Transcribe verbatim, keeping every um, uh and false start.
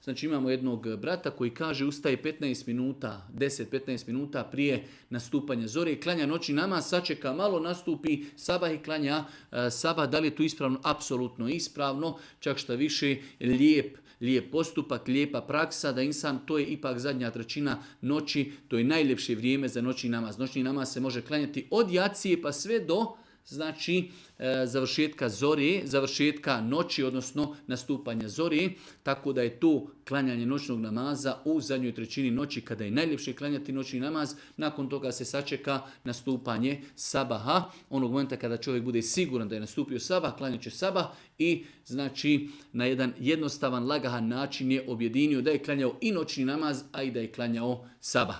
Znači imamo jednog brata koji kaže ustaje petnaest minuta, deset do petnaest minuta prije nastupanja zore, klanja noćni namaz, sačeka malo, nastupi sabah i klanja e, sabah. Da li je to ispravno? Apsolutno ispravno, čak šta više lijep, lijep postupak, lijepa praksa da insan, to je ipak zadnja trećina noći, to je najljepše vrijeme za noćni namaz. Noćni namaz se može klanjati od jacije pa sve do znači e, završetka zore, završetka noći, odnosno nastupanja zore, tako da je to klanjanje noćnog namaza u zadnjoj trećini noći kada je najljepše klanjati noćni namaz. Nakon toga se sačeka nastupanje sabaha, onog momenta kada čovjek bude siguran da je nastupio sabah, klanjat će sabah i znači na jedan jednostavan, lagahan način je objedinio da je klanjao i noćni namaz, a i da je klanjao sabah.